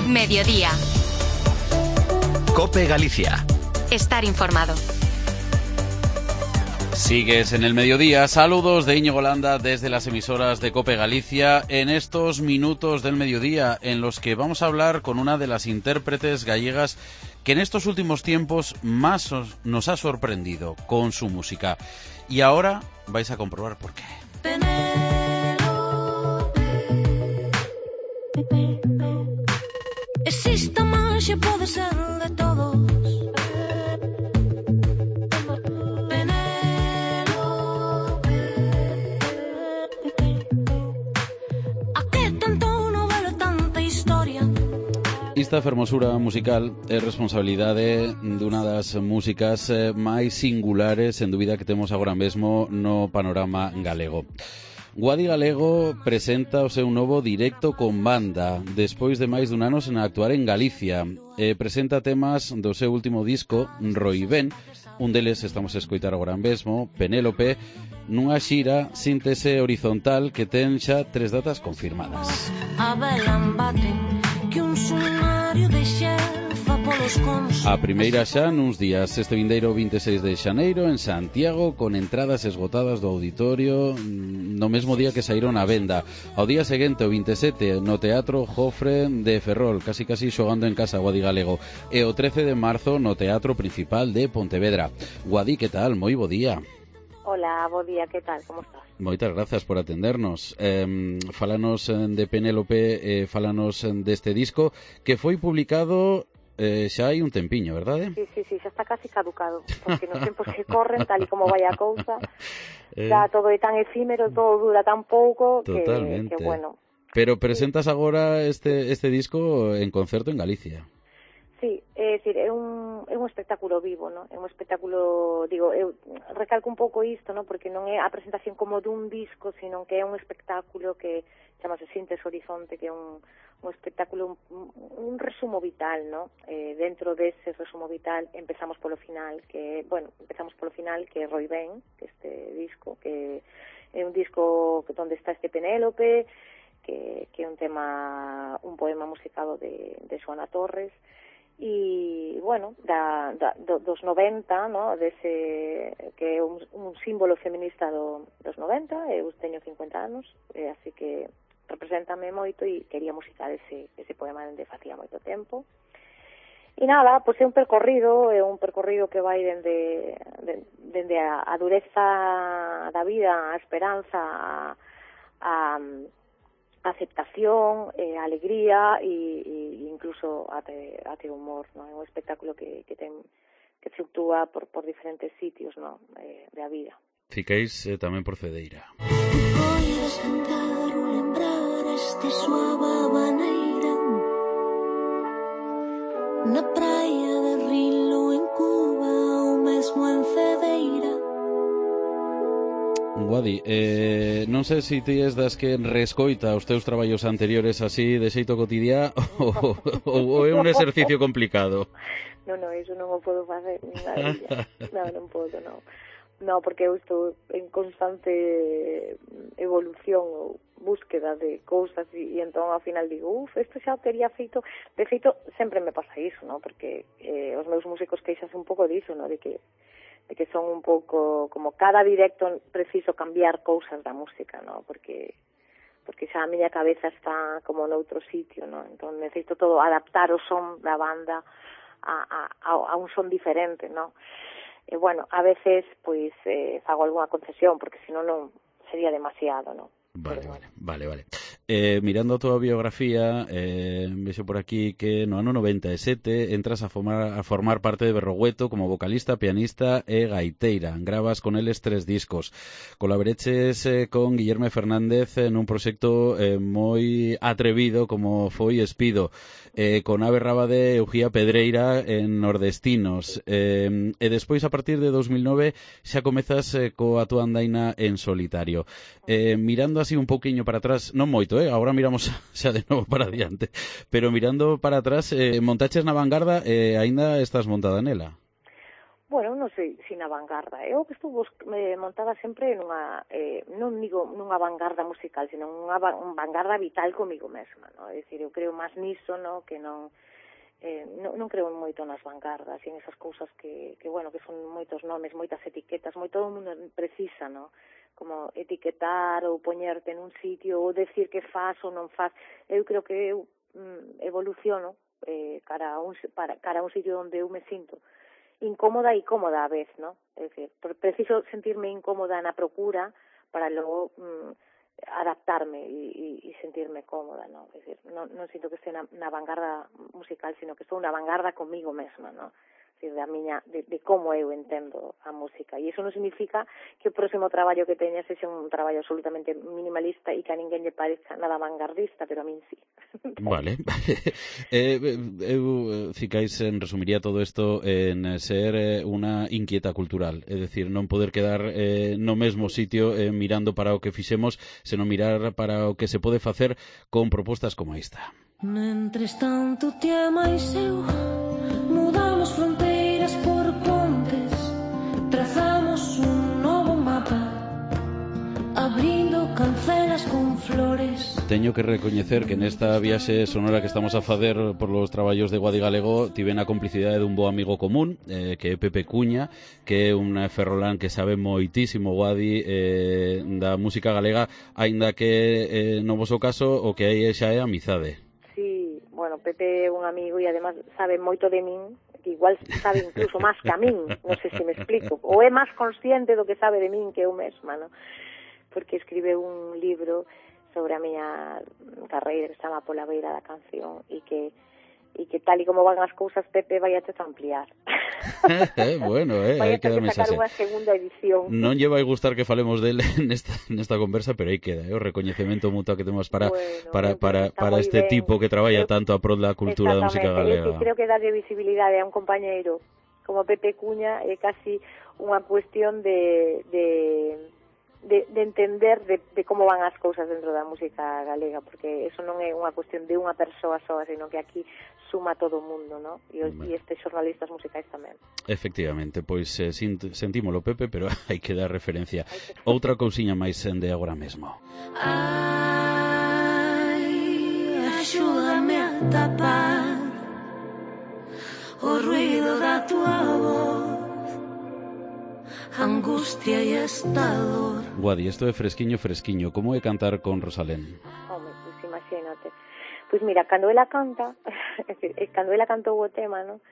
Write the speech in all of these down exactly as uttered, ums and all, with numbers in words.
Mediodía. COPE Galicia. Estar informado. Sigues en el mediodía. Saludos de Íñigo Landa desde las emisoras de COPE Galicia en estos minutos del mediodía en los que vamos a hablar con una de las intérpretes gallegas que en estos últimos tiempos más nos ha sorprendido con su música. Y ahora vais a comprobar por qué. Existe magia, pode ser de todos. Esta fermosura musical é responsabilidade dunha das músicas máis singulares en dúbida que temos agora mesmo no panorama galego. Guadi Galego presenta o seu novo directo con banda despois de máis dun ano sen actuar en Galicia e presenta temas do seu último disco, Roibén. Un deles estamos a escoitar agora mesmo, Penélope, nunha xira síntese horizontal que ten xa tres datas confirmadas. A primeira xa nuns días, este vindeiro vinte e seis de xaneiro en Santiago, con entradas esgotadas do auditorio no mesmo día que saíron á venda. Ao día seguinte, o vinte e sete, no Teatro Jofre de Ferrol, casi casi xogando en casa Guadi Galego, e o trece de marzo no Teatro Principal de Pontevedra. Guadi, que tal? Moi bo día. Hola, bo día, que tal? Como estás? Moitas grazas por atendernos. Eh, fálanos de Penélope, eh, fálanos deste disco que foi publicado eh, xa hai un tempiño, verdade? Sí, sí, sí, xa está casi caducado, porque nos tempos que corren, tal e como vai a cousa, eh... xa todo é tan efímero, todo dura tan pouco, que, que bueno. Pero presentas sí. agora este, este disco en concerto en Galicia. Sí, é dicir, é un, é un espectáculo vivo, ¿no? É un espectáculo, digo, eu recalco un pouco isto, ¿no? Porque non é a presentación como dun disco, sino que é un espectáculo que chamase Síntese Horizonte, que é un, un espectáculo, un, un resumo vital, ¿no? Eh, dentro dese resumo vital empezamos polo final, que, bueno, empezamos polo final, que é Roibén, que este disco, que é un disco onde está este Penélope, que, que é un tema, un poema musicado de, de Xoana Torres, e, bueno, da, da, do, dos noventa, ¿no? Dese, que é un, un símbolo feminista do, dos noventa, eu teño cincuenta anos, e así que represéntame moito e quería musicar ese, ese poema dende facía moito tempo. E nada, pois é un percorrido, é un percorrido que vai dende, dende a, a dureza da vida, a esperanza, a, a aceptación, eh, alegría e, e incluso ate, ate humor, ¿no? É un espectáculo que, que ten que fluctúa por, por diferentes sitios, ¿no? eh, da vida. Ficáis eh, tamén por Cedeira. Podes tentar ou lembrar este suave maneira na praia de Rilo en Cuba ou mesmo en Cedeira. Guadi, eh, non sei se ti es das que rescoita os teus traballos anteriores así de xeito cotidiá ou, ou é un exercicio complicado. Non, non, iso non o podo facer ni nada. Non, non podo, non. Non, porque eu estou en constante evolución ou búsqueda de cousas e, e entón ao final digo, uf, isto xa o tería feito. De feito, sempre me pasa iso, non? Porque eh, os meus músicos queixas un pouco diso, non? De que de que son un pouco como cada directo preciso cambiar cousas da música, ¿no? Porque porque xa a miña cabeza está como noutro sitio, ¿no? Entón necesito todo adaptar o son da banda a, a, a un son diferente, ¿no? E bueno, a veces pois eh, fago algunha concesión porque senón non sería demasiado, ¿no? Vale, vale, vale, vale. Eh, mirando a túa biografía, eh, vexo por aquí que no ano noventa e sete entras a formar, a formar parte de Berrogueto como vocalista, pianista e gaiteira. Gravas con eles tres discos. Colaboreches eh, con Guillerme Fernández en un proxecto eh, moi atrevido como foi Espido, eh, con Ave Rábade e Ugía Pedreira en Nordestinos. Eh, e despois, a partir de dos mil nove, xa comezas eh, coa túa andaina en solitario. Eh, mirando así un pouquiño para atrás, non moito, eh? Agora miramos xa de novo para adiante, pero mirando para atrás, eh, montaches na vanguarda e eh, aínda estás montada nela. Bueno, no non sei se na vanguarda. Eu que estou me montada sempre nunha, eh, non digo nunha vanguarda musical, sino nunha vanguarda vital comigo mesma, no? É dicir, eu creo máis niso, no? Que non, eh, non, non creo moito nas vanguardas e en esas cousas que, que, bueno, que son moitos nomes, moitas etiquetas, moi todo o mundo precisa, no? Como etiquetar ou poñerte en un sitio ou decir que faz ou non faz. Eu creo que eu mm, evoluciono eh, cara, a un, para, cara a un sitio onde eu me sinto incómoda e cómoda a vez, ¿no? Es decir, preciso sentirme incómoda na procura para logo mm, adaptarme e, e, e sentirme cómoda, ¿no? Es decir, non, non sinto que este na, na vanguarda musical, sino que estou na vanguarda comigo mesma, ¿no? Es decir, da miña, de, de como eu entendo a música. E iso non significa que o próximo traballo que teña sexa un traballo absolutamente minimalista e que a ninguén lle parezca nada vanguardista, pero a min sí. Vale. eh, eu, Cicais, resumiría todo isto en ser eh, unha inquieta cultural, é dicir, non poder quedar eh, no mesmo sitio eh, mirando para o que fixemos, senón mirar para o que se pode facer con propostas como esta. Mentres tanto ti e máis eu mudamos fronteiras por pontes, trazamos un novo mapa, abrindo cancelas con flores. Teño que recoñecer que nesta viaxe sonora que estamos a facer por los traballos de Guadi Galego tiven a complicidade dun bo amigo común, eh, que é Pepe Cuña, que é un ferrolán que sabe moitísimo, Guadi, eh, da música galega, aínda que eh, no voso caso o que hai xa é amizade. Sí, bueno, Pepe é un amigo e además sabe moito de min, que igual sabe incluso máis que a min, non sei se me explico, ou é máis consciente do que sabe de min que eu mesma, non? Porque escribe un libro sobre a miña carreira que se chama Pola beira da canción e que e que tal e como van as cousas Pepe vai a te ampliar. Bueno, eh, vai aí a ter queda que sacar mensaxe. unha segunda edición. Non lle vai gustar que falemos del nesta, nesta conversa, pero aí queda, eh, o recoñecemento mutuo que temos para bueno, para, para, para este ben. tipo que traballa Eu, tanto a prol da cultura da música galega. Eu que galega. creo que darlle visibilidade a un compañeiro como Pepe Cuña é casi unha cuestión de... de De, de entender de, de como van as cousas dentro da música galega, porque eso non é unha cuestión de unha persoa soa, sino que aquí suma todo o mundo, ¿no? E, os, e estes xornalistas musicais tamén. Efectivamente, pois eh, sentímolo, Pepe, pero hai que dar referencia. Que... Outra cousiña máis de agora mesmo. Ai, axúdame a tapar o ruido da tua voz, angustia e esta dor. Guadi, isto é fresquiño, fresquiño. Como é cantar con Rosalén? Home, pois imagínate. Pois mira, cando ela canta, cando ela cantou o tema, no?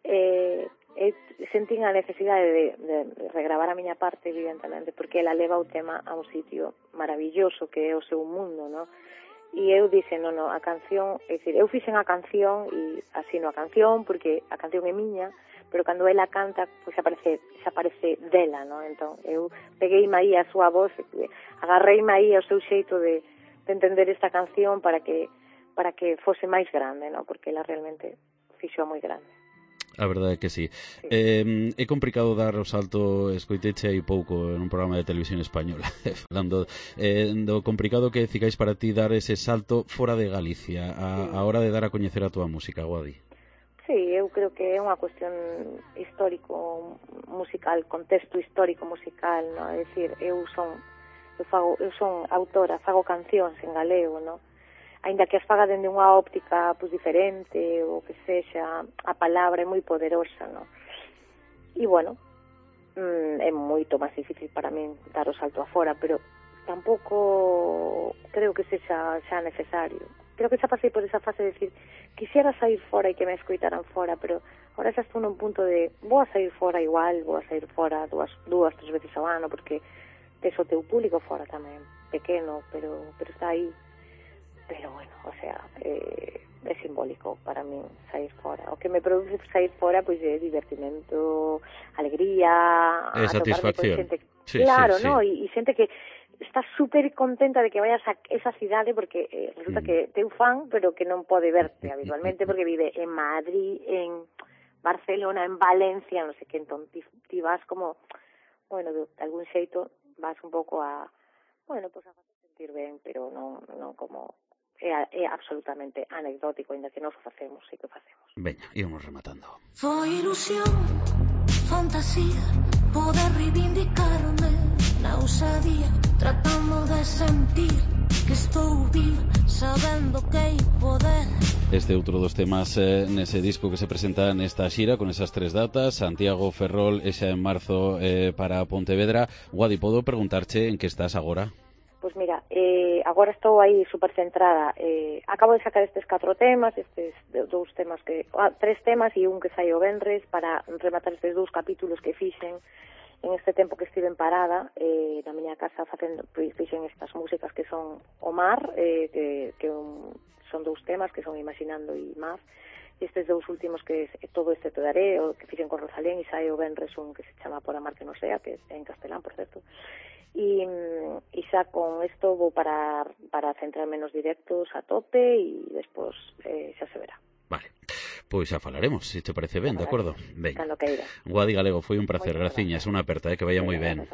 eh, eh, sentín a necesidade de, de regravar a miña parte, evidentemente, porque ela leva o tema a un sitio maravilloso que é o seu mundo, no? E eu dixen, no, no, a canción, é dicir, eu fixen a canción e asino a canción porque a canción é miña, pero cando ela canta, pois aparece, aparece dela, no? Entón, eu peguei aí a súa voz, agarrei aí ao seu xeito de, de entender esta canción para que para que fose máis grande, no? Porque ela realmente fixo moi grande. A verdade é que sí. sí. Eh, é complicado dar o salto, escoiteche aí pouco en un programa de televisión española, falando eh, do complicado que Cicais para ti dar ese salto fora de Galicia a, sí. a hora de dar a coñecer a túa música, Guadi. Sí, eu creo que é unha cuestión histórico musical, contexto histórico musical, no? É dicir, eu son eu fago, eu son autora, fago cancións en galego, no? Aínda que as faga dende unha óptica pois diferente ou que sexa, a palabra é moi poderosa, no? E bueno, mm, é moito máis difícil para min dar o salto afora, pero tampouco creo que sexa xa necesario. Creo que xa pasei por esa fase de decir, quixera sair fora e que me escoitaran fora, pero ahora xa estou nun punto de vou a sair fora igual, vou a sair fora dúas, dúas tres veces ao ano, porque tes o teu público fora tamén, pequeno, pero pero está aí. Pero bueno, o sea, eh, é simbólico para min sair fora. O que me produce sair fora, pois é divertimento, alegría, é satisfacción. Xente, sí, claro, sí, ¿no? sí. E, e xente que está súper contenta de que vayas a esa cidade porque eh, resulta mm. que teu fan, pero que non pode verte habitualmente porque vive en Madrid, en Barcelona, en Valencia, non sei que, entón ti, ti vas como, bueno, de, de algún xeito vas un pouco a, bueno, pues a sentir ben, pero non, non como é, é absolutamente anecdótico, ainda que nós o facemos, e que o facemos. Veña, íbamos rematando. Foi ilusión, fantasía, poder reivindicarme na ousadía, tratando de sentir que estou viva, sabendo que hai poder. Este outro dos temas eh, nese disco que se presenta nesta xira con esas tres datas, Santiago, Ferrol e xa en marzo eh, para Pontevedra. Guadi, podo preguntarche en que estás agora? Pois mira, eh, agora estou aí super centrada. Eh, acabo de sacar estes catro temas, estes dous temas que... Ah, tres temas e un que sai o venres para rematar estes dous capítulos que fixen en este tempo que estive en parada eh, na miña casa facendo, fixen estas músicas que son o mar, eh, que, que un, son dous temas que son Imaginando e Mar, e estes dous últimos que é Todo este te daré, o que fixen con Rosalén, e sai o venres un que se chama Por amar que non sea, que é en castelán, por certo. E, e xa con isto vou para, para centrarme nos directos a tope e despois eh, xa se verá. Vale, pois xa falaremos, se te parece ben, de acordo? Ben. Cando queira. Guadi Galego, foi un placer, graciñas, unha aperta, eh, que vaya moi ben.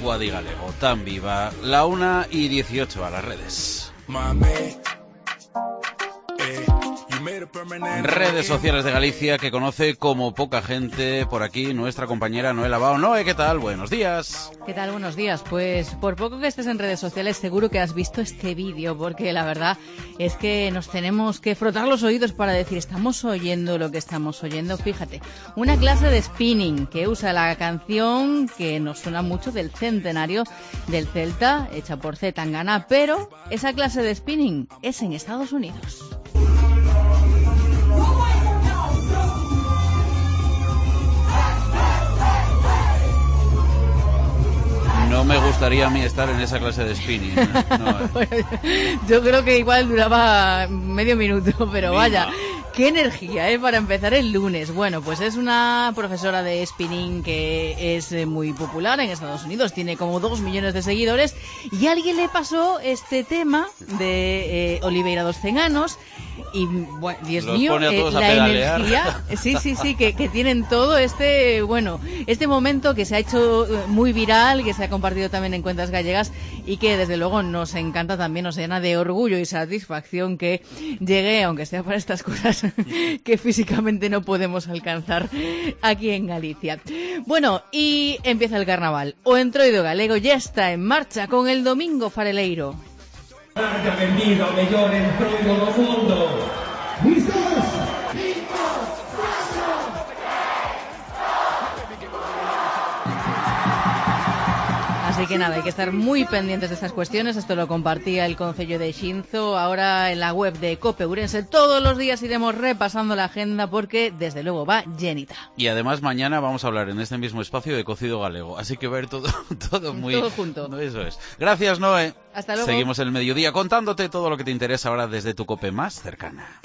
Guadi Galego, tan viva, la una y dieciocho a las redes. Redes sociales de Galicia que conoce como poca gente por aquí nuestra compañera Noé Lavao. Noé, ¿qué tal? Buenos días. ¿Qué tal? Buenos días. Pues por poco que estés en redes sociales seguro que has visto este vídeo, porque la verdad es que nos tenemos que frotar los oídos para decir estamos oyendo lo que estamos oyendo. Fíjate, una clase de spinning que usa la canción que nos suena mucho del centenario del Celta, hecha por C. Tangana, pero esa clase de spinning es en Estados Unidos. No me gustaría a mí estar en esa clase de spinning. No, eh. Yo creo que igual duraba medio minuto, pero Mima. Vaya, qué energía, ¿eh? Para empezar el lunes. Bueno, pues es una profesora de spinning que es muy popular en Estados Unidos, tiene como dos millones de seguidores, y alguien le pasó este tema de eh, Oliveira dos Cenanos. Y bueno, Dios Los mío, eh, la energía, sí, sí, sí, que, que tienen todo este, bueno, este momento que se ha hecho muy viral, que se ha compartido también en cuentas gallegas y que desde luego nos encanta también, nos llena de orgullo y satisfacción que llegue, aunque sea para estas cosas que físicamente no podemos alcanzar aquí en Galicia. Bueno, y empieza el carnaval. O Entroido Galego ya está en marcha con el Domingo Fareleiro. Marca vendido ao mellor entroido do mundo. ¿Listos? cinco, cuatro, Así que nada, hay que estar muy pendientes de estas cuestiones. Esto lo compartía el Concello de Xinzo. Ahora en la web de COPE Ourense todos los días iremos repasando la agenda porque desde luego va llenita. Y además mañana vamos a hablar en este mismo espacio de cocido galego. Así que ver todo, todo muy... Todo junto. Eso es. Gracias, Noé. Hasta luego. Seguimos el mediodía contándote todo lo que te interesa ahora desde tu COPE más cercana.